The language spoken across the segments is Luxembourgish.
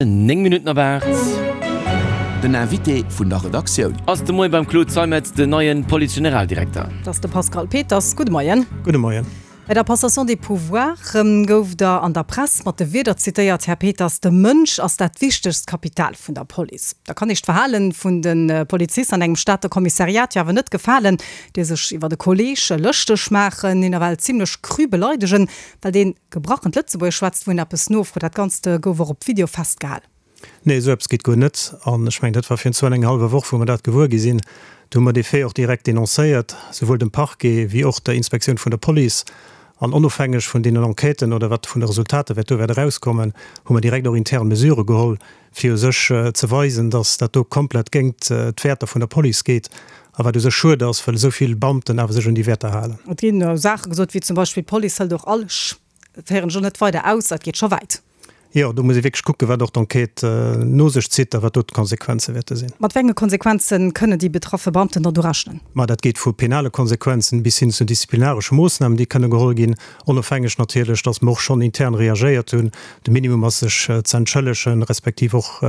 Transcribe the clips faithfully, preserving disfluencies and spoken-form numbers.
Néng Minutten op aacht. Den Invité vun der Redaktioun. Ass de Moien beim Claude Zeimetz den neien Police-Generaldirekter. Dat ass de Pascal Peters. Gudde Moien. Gudde Moien. Bei der Passation des pouvoirs gouf Der an der Press mat de Wierder zitéiert, Här Peters, De Mënsch ass dat wichtegst Kapital vun der Police. Da kann Iech d'Verhale vun de Polizisten an engem Stater Kommissariat jo awer net gefalen, déi sech iwwer e Kolleeg lëschteg maachen, hien ewell zimlech cru beleidegen, well deen gebrachent Lëtzebuergesch schwätzt, wou een eppes nofrot. Dat Ganzt gouf och op Video festgehal. Nee, esou eppes geet guer net. An ech mengen, dat war virun zwou an enger hallwer Woch, wou mer dat gewuer gi sinn. Do hu mer dee Fait och direkt denoncéiert, souwuel dem Parquet wéi och der Inspektioun vun der Police. An onofhängeg vun deenen Enquêten oder wat vun de Resultater wäert do wäert erauskommen, hu mer direkt och intern Mesurë geholl, fir u sech ze weisen, dass dat do komplett géingt d'Wäerter vun der Police geet. A wat u sech schued ass, well esou vill Beamten awer sech un déi Wäerter halen. Et ginn Saache gesot, wéi zum Beispill, D'Police hëlt och all Sch. Dat féieren ech och net weider aus, dat geet scho wäit. Jo, do muss ee wierklech kucken, wat och d'Enquête no sech zitt a wat do d'Konsequenze wäerte sinn. Mat wéi enge Konsequenze kënnen déi betraffe Beamten dann do rechnen? Ma dat geet vu penale Konsequenzen bis hin zu disziplinaresche Moossnamen, déi kënne geholl ginn, onofhängeg natierlech, datt mer och schonn intern reagéiert hunn. De Minimum ass, sech ze entschëllegen, respektiv och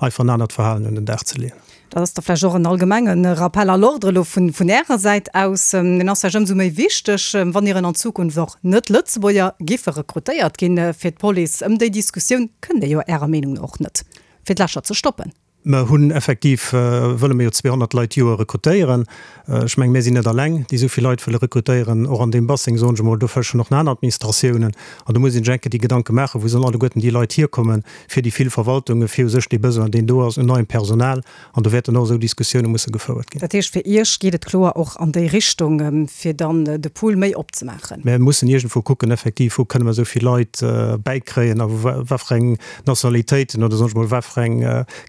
einfach en anert Verhalen un den Dag ze leeën. Dat ass da vläicht och en allgemenge Rappel à l'ordre elo vun Ärer Säit aus. Deen ass vläicht ëmsou méi wichteg, wann ieren an Zukunft och Net-Lëtzebuerger giffe rekrutéiert ginn fir d'Police. Ëm déi Diskussioun kënnt Dir jo Ärer Meenung no och net, fir d'Lächer ze stoppen. Mer hunn effektiv, wëlle mer jo zweehonnert Leit d'Joer rekrutéieren. Ech mengen, mir sinn net alleng, déi esou vill Leit wëlle rekrutéieren. Och an deem Basseng, soen ech emol, do fëschen och nach aner Administratiounen. An do muss een sech enke déi Gedanke maachen, wou sollen alleguerten déi Leit hierkommen, fir déi vill Verwaltungen, fir u sech dee Besoin, deen do ass un neiem Personal. An do wäerten och esou Diskussioune musse gefouert ginn. Dat heescht, fir Iech geet et kloer och an déi Richtung, fir dann de Pool méi opzemaachen? Mir mussen iergendwou kucken, effektiv, wou kënne mer esou vill Leit bäikréien a wat fir eng Nationalitéiten oder soen ech mol, wat fir eng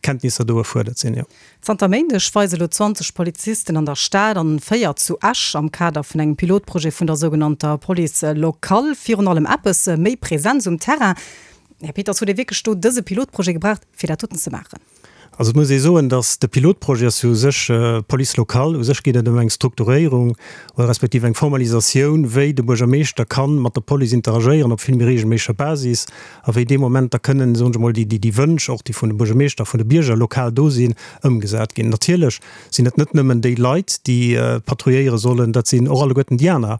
Kenntnisser do erfuerdert sinn, jo. Zanter Méindeg weise lo zwanzeg Polizisten an der Stad an véier zu Esch am Kader vun engem Pilotprojet vun der sougenannter Police locale virun allem eppes méi Präsenz um Terrain. Här Peters, hutt Dir wierklech do dëse Pilotprojet gebraucht, fir dat doten ze maachen? Also et muss ee soen, datt de Pilotprojet ass jo u sech Police locale. U sech geet et ëm eng Strukturéierung oder respektiv eng Formalisatioun, wéi de Buergermeeschter ka mat der Police interagéieren op vill méi reegelméisseger Basis a wéi dee Moment da kënnen, soen ech emol, déi déi Wënsch och, déi vun de Buergermeeschter a vun de Bierger lokal do sinn, ëmgesat ginn. Natierlech sinn et net nëmmen déi Leit, déi patrouilléiere sollen, dat sinn och alleguerten déi aner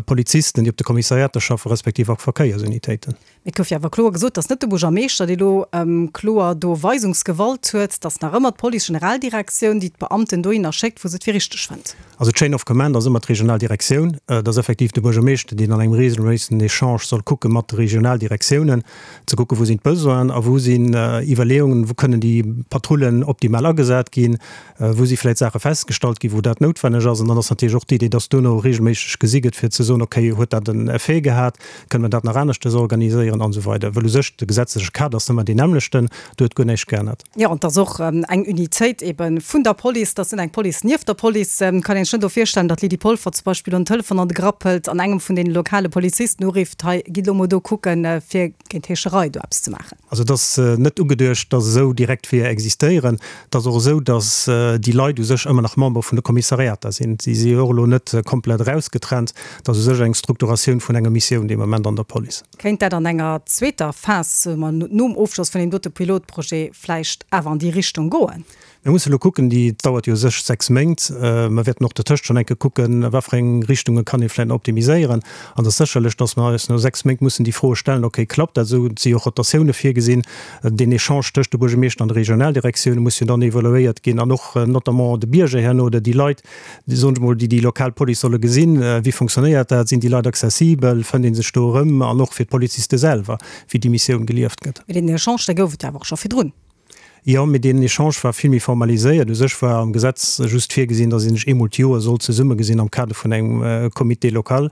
Polizisten, déi op de Kommissariater schaffen, respektiv och d'Verkéiersunitéiten. Et gouf jo awer kloer gesot, dass net de Buergermeeschter, dee lo kloer do Weisungsgewalt huet, dass nach ëmmer d'Police-Generaldirektioun, déi d'Beamten dohinner schéckt, wou se et fir richteg fënnt. Also d'Chain of command ass ëmmer d'Regionaldirektioun. Et ass effektiv de Buergermeeschter, deen an engem regelméissegen Echange soll kucke mat de Regionaldirektiounen, ze kucken, wou sinn d'Besoinen a wou sinn Iwwerleeungen, wou kënnen déi Patrullen optimal agesat ginn, wou si vläicht Saache festgestallt ginn, wou dat noutwenneg ass. An dann ass natierlech och d'Idee, dass duerno regelméisseg gesi gëtt, fir ze soen, okay, huet dat en Effet gehat, kënne mer dat nach aneschtes organiséieren an esou weider. Well u sech de gesetzleche Kader ass ëmmer deen nämmlechten, do huet guer näischt geännert. Jo, an et ass och eng Unitéit ebe vun der Police, dat ass net eng Police nieft der Police. Kann een sech net och virstellen, datt d'Lydie Polfer zum Beispill elo en Telefon an de Grapp hëlt an engem vun deene lokale Polizisten urifft, hei, gitt elo mol do kucken, fir géint Heescherei do eppes ze maachen. Also et ass net ugeduecht, dass esou direkt Weeër existéieren. Et ass och esou, dass déi Leit u sech ëmmer nach Member vun de Kommissariater sinn. Si si jo och elo net komplett erausgetrennt. Et ass u sech eng Strukturatioun vun enger Missioun dee Moment an der Police. Kéint dat an enger zweeter Phas, soe mer nom Ofschloss vun deem dote Pilotprojet, vläicht awer an déi Richtung goen? Mir musse elo kucken, déi dauert jo u sech sechs Méint. Mer wäerten och dertëscht schonn eng Kéier kucken, a wat fir eng Richtunge kann ee vläicht nach optimiséieren. An et ass sécherlech, dass mer eis no sechs Méint mussen déi Froe stellen, okay, klappt dat esou? Et si jo och Rotatioune virgesinn. Deen Echange tëscht de Buergermeeschter an de Regionaldirektioune muss jo dann evaluéiert ginn an och notamment de Bierger herno oder déi Leit, soen ech emol, déi déi lokal Police solle gesinn. Wéi fonctionnéiert dat? Sinn déi Leit accessibel? Fënnt ee sech do erëm? An och fir d'Poliziste selwer, wéi déi Missioun gelieft gëtt. Mee deen Echange, dee gouf et jo awer och scho virdrun. Jo, mee deen Echange war vill méi formaliséiert. U sech war am Gesetz just virgesinn, datt ee sech eemol d'Joer sollt zesummegesinn am Kader vun engem Comité local.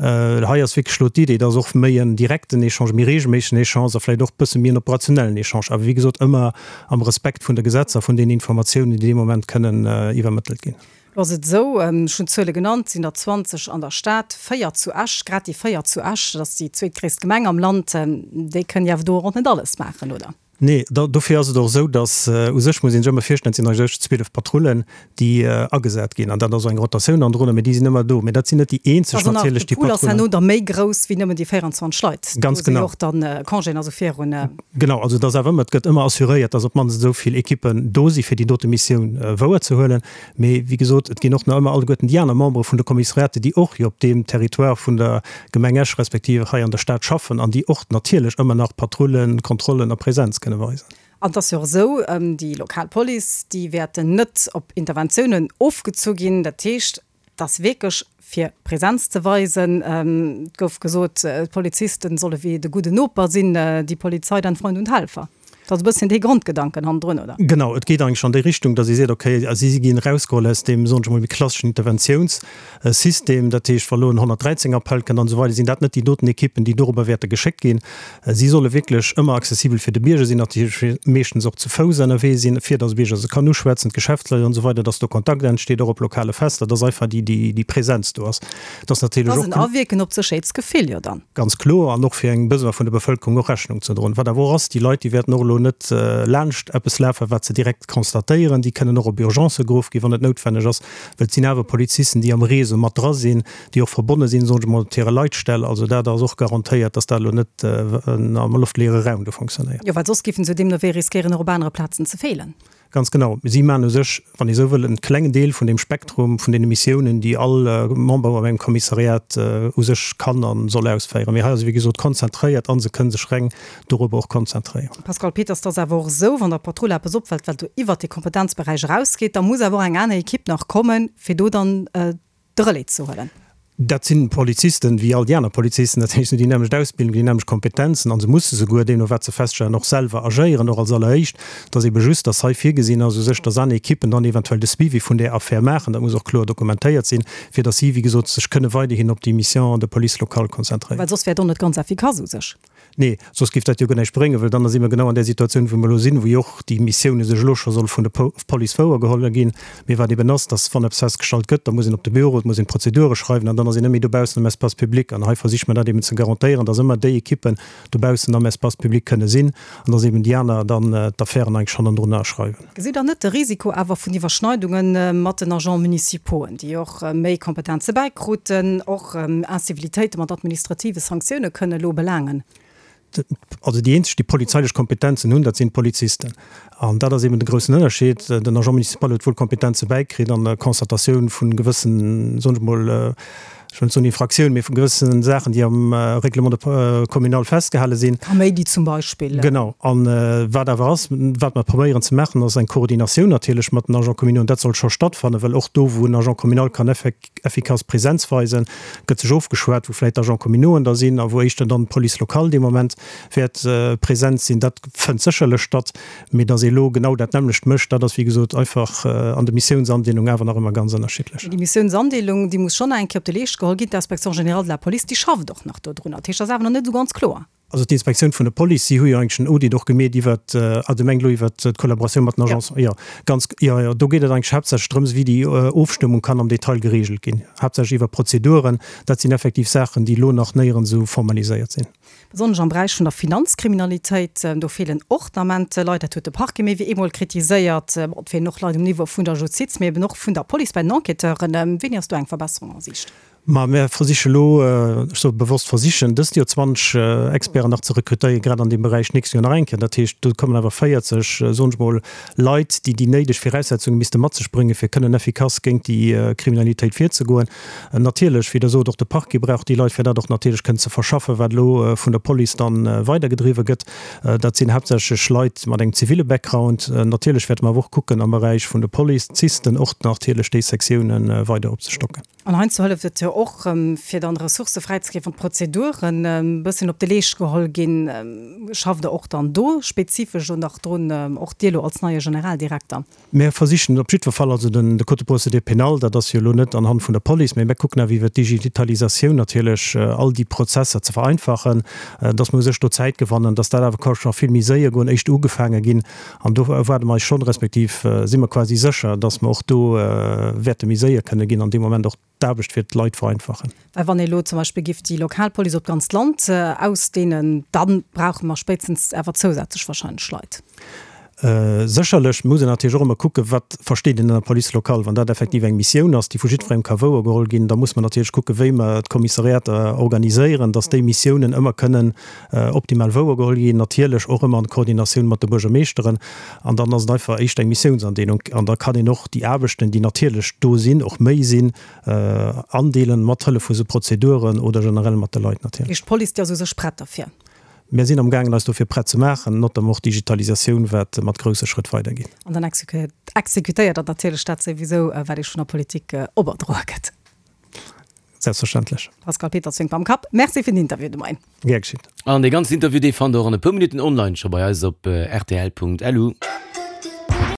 Hei ass wierklech elo d'Idee, datt och méi en direkten Echange, méi reegelméissegen Echange a vläicht och e bësse méi en operationellen Echange, awer wéi gesot ëmmer am Respekt vun de Gesetzer, vun den Informatiounen, déi dee Moment kënnen iwwermëttelt ginn. Lo ass et esou, ech hunn d'Zuele genannt, et sinn der zwanzeg an der Stad, véier zu Esch, grad déi véier zu Esch, dat ass déi zweetgréisst Gemeng am Land, déi kënnen jo awer do och net alles maachen, oder? Nee, dofir ass et och esou, datt u sech muss ee sech ëmmer virstellen, et sinn eigentlech zwielef Patrullen, déi agesat ginn. An dat ass och eng Rotatioun an drënner, mee déi sinn ëmmer do. Mee dat sinn net déi eenzeg natierlech, déi Patrullen. Also nach de Pool ass herno da méi grouss wéi nëmmen déi véierundzwanzeg Leit. Ganz genau. Do si jo och dann Congéen a sou virun. Genau, also et ass awer ëmmer, et gëtt ëmmer assuréiert, datt op d'mannst esou vill Ekippen do si fir déi dote Missioun wouerzehuelen. Mee wéi gesot, et ginn och nach ëmmer alleguerten déi aner Membere vun de Kommissariaten, déi och jo op deem Territoire vun der Gemeng Esch respektiv hei an der Stad schaffen an déi och natierlech ëmmer nach Patrullen, Kontrollen a Präsenz kënne weisen. An et ass jo och esou, déi lokal Police, déi wäerten net op Interventiounen ofgezu ginn. Dat heescht, et ass wierklech fir Präsenz ze weisen. Et gouf gesot, d'Poliziste solle wéi de gudden Noper sinn, die Polizei dein Freund und Helfer. Dat ass e bësschen dee Grondgedanken hannendrun, oder? Genau, et geet eigentlech an déi Richtung, datt ee seet, okay, si ginn erausgeholl aus deem, soen ech emol, méi klasseschen Interventiounssystem. Dat heescht, wa elo en honnertdräizéng Appell kënnt an esou weider, sinn dat net déi doten Ekippen, déi dorobber wäerte geschéckt ginn. Si solle wierklech ëmmer accessibel fir de Bierger sinn, natierlech meeschtens och zu Fouss ënnerwee sinn, fir datt de Bierger se kann uschwätzen, d'Geschäftsleit an esou weider, datt do Kontakt entsteet, och op lokale Fester, datt einfach déi, déi Präsenz do ass. Et ass natierlech och. Dat ass en Awierken op d'Sécherheetsgefill jo dann. Ganz kloer, an och fir engem Besoin vun der Bevëlkerung och Rechnung ze droen. Wat awer och ass, déi Leit, déi wäerten och elo net laanscht eppes lafen, wat se direkt constatéieren. Déi kënnen och op Urgencë geruff ginn, wann et noutwenneg ass, well et sinn awer Polizisten, déi am Réseau mat dra sinn, déi och verbonne sinn, soen ech emol, mat hire Leitstell. Also dat ass och garantéiert, dass dat elo net am loftleere Raum do fonctionnéiert. Jo, well soss géifen se jo deemno wéi riskéieren, och op anere Plazen ze feelen. Ganz genau. Si maachen u sech, wann ee sou wëll, en klengen Deel vun deem Spektrum vun deene Missiounen, déi all Member an engem Kommissariat u sech kann a soll ausféieren. Mee hei ass et, wéi gesot, konzentréiert a se kënne sech reng dorobber och konzentréieren. Pascal Peters, Et ass awer och esou, wann der Patrull eppes opfält, wat do iwwert dee Kompetenzberäich erausgeet, da muss awer och eng aner Ekipp nach kommen, fir do dann de Relais ze huelen. Dat sinn Polizisten wéi all déi aner Polizisten, dat heescht, se hunn déi nämmlecht Ausbildung, déi nämmlecht Kompetenzen a se musse souguer, deemno wat se feststellen, och selwer agéieren, och als alleréischt. Et ass ebe just, dass hei virgesinn ass u sech, dass aner Ekippen dann eventuell de Suivi vun där Affär maachen. Dat muss och kloer dokumentéiert sinn, fir dass si, wéi gesot, sech kënne weiderhin op déi Mission de police locale konzentréieren. Well soss wär et och net ganz effikass u sech. Nee, soss géif dat jo guer näischt bréngen, well dann si mer genau an där Situatioun, wou mer elo sinn, wou jo och déi Missioune sech elo scho soll vun der Police wouergeholl ginn. Mee wat eben ass, dass, wann eppes festgestallt gëtt, da muss een op de Büro, et muss een d'Prozedure schreiwen an dann ass een net méi dobaussen am Espace public. An hei versiche mer dat eben ze garantéieren, dass ëmmer déi Ekippen dobaussen am Espace public kënne sinn an dass eben déi aner dann d'Affären eigentlech hannendrun schreiwen. Gesitt Der net de Risiko awer vun Iwwerschneidunge mat den Agents municipauxen, déi och méi Kompetenze bäikruten, och Incivilitéite mat administrative Sanktioune kënne elo belaangen? Also déi eenzeg, déi polizeilech Kompetenzen hunn, dat sinn d'Polizisten. An dat ass eben de groussen Ënnerscheed. Den Agent municipal huet wuel Kompetenze bäikritt an der Constatatioun vu gewëssen, soen ech mol, ech wëll net soen Infraktiounen, mee vu gewëssen Saachen, déi am Règlement de communal festgehale sinn. Kaméidi zum Beispill. Genau. A wat awer ass, wat mer probéieren ze maachen, ass eng Koordinatioun natierlech mat den Agents communaux. An dat soll scho stattfannen, well och do, wou en Agent communal kann effikass Präsenz weisen, gëtt sech ofgeschwat, wou vläicht d'Agents communauxen da sinn a wou éischter dann d'Police locale dee Moment wäert present sinn. Dat fënnt sécherlech statt, mee datt ee elo genau dat nämmlecht mécht, dat ass wéi gesot einfach an der Missiounsandeelung awer nach ëmmer ganz ënnerschiddlech. Déi Missiounsandeelung, déi muss schonn nach eng Kéier op de Leescht geholl ginn. D'Inspection générale de la Police, déi schafft och nach dodrunner. Dat heescht, dat ass awer nach net esou ganz kloer. Also d'Inspektioun vun der Police, si hu jo eigentlech en Audit och gemeet iwwert, ah, Dir mengt elo iwwert d'Kollaboratioun mat den Agencen? Jo, ganz, jo, jo, do geet et eigentlech haaptsächlech drëms, wéi déi Ofstëmmung kann am Detail geregelt ginn, haaptsächlech iwwer Prozeduren. Dat sinn effektiv Saachen, déi elo nach néierens esou formaliséiert sinn. Besonnesch am Beräich vun der Finanzkriminalitéit, do feelen och den Ament Leit. Dat huet de Parquet méi wéi eemol kritiséiert. Bon, et feelen och Leit um Niveau vun der Justiz, mee eben och vun der Police bei den Enquêteuren. Wéini ass do eng Verbesserung a Siicht? Ma mär versiche elo, ech soe bewosst versichen, dëst Joer zwanzeg Experten nach ze rekrutéieren, grad an deem Beräich, d'nächst Joer nach eng Kéier. Dat heescht, do kommen awer véierzeg, soen ech mol, Leit, déi déi néideg Viraussetzunge misste mat sech bréngen, fir kënnen effikass géint déi Kriminalitéit virzegoen. Natierlech, wéi Der sot, och de Parquet brauch déi Leit, fir dat och natierlech kënnen ze verschaffen, wat elo vun der Police dann weidergedriwwe gëtt. Dat sinn haaptsächlech Leit mat engem ziville Background. Natierlech wäerte mer awer och kucken, am Beräich vun de Polizisten och natierlech déi Sektiounen weider opzestocken. An heiansdo hëlleft et jo och, fir dann Ressourcë fräizeginn, wann d'Prozeduren e bësschen op de Leescht geholl ginn. Schafft Der och dann do spezifesch elo nach drun, och Dir elo als neie Generaldirekter? Mir versichen op jiddwer Fall, also den de Code de procédure pénale, dat ass jo elo net anhand vun der Police, mä mir kucken awer iwwert d'Digitalisatioun natierlech all déi Prozesser ze vereinfachen, dass mer u sech do Zäit gewannen, dass dat awer ka scho vill méi séier goen, éischt ugefaange ginn. An do erwaarde mer eis schonn, respektiv si mer quasi sécher, dass mer och do wäerte méi séier kënne ginn an dee Moment och d'Aarbecht fir d'Leit vereinfachen. Well wann ee elo zum Beispill giff déi lokal Police op d'ganzt Land ausdehnen, da brauche mer spéitstens awer zousätzlech wahrscheinlech Leit. Sécherlech muss een natierlech och ëmmer kucken, wat versteet een ënner Police locale. Wann dat effektiv eng Missioun ass, déi vu jiddwerengem ka wouergeholl ginn, da muss mer natierlech kucken, wéi mer d'Kommissariater organiséieren, dass déi Missiounen ëmmer kënnen optimal wouergeholl ginn, natierlech och ëmmer an Koordinatioun mat de Buergermeeschteren. An dann ass et einfach éischter eng Missiounsandeelung. An da kann een och déi Aarbechten, déi natierlech do sinn, och méi sinn, andeelen, mat Hëllef vu sou Prozeduren oder generell mat de Leit natierlech. Heescht, d'Police, déi ass u sech prett derfir? Mir sinn amgaangen eis dofir prett ze maachen, notamment och d'Digitalisatioun, wat mat grousse Schrëtt weidergeet. An dann exekutéiert Der natierlech dat souwisou, wat Iech vun der Politik operdroe gëtt. Selbstverständlech. Pascal Peters wénkt mam Kapp. Merci fir den Interview de Moien. Gär geschitt. An dee ganzen Interview, dee fannt Der och an e puer Minutten online scho bei eis op rtl Punkt lu.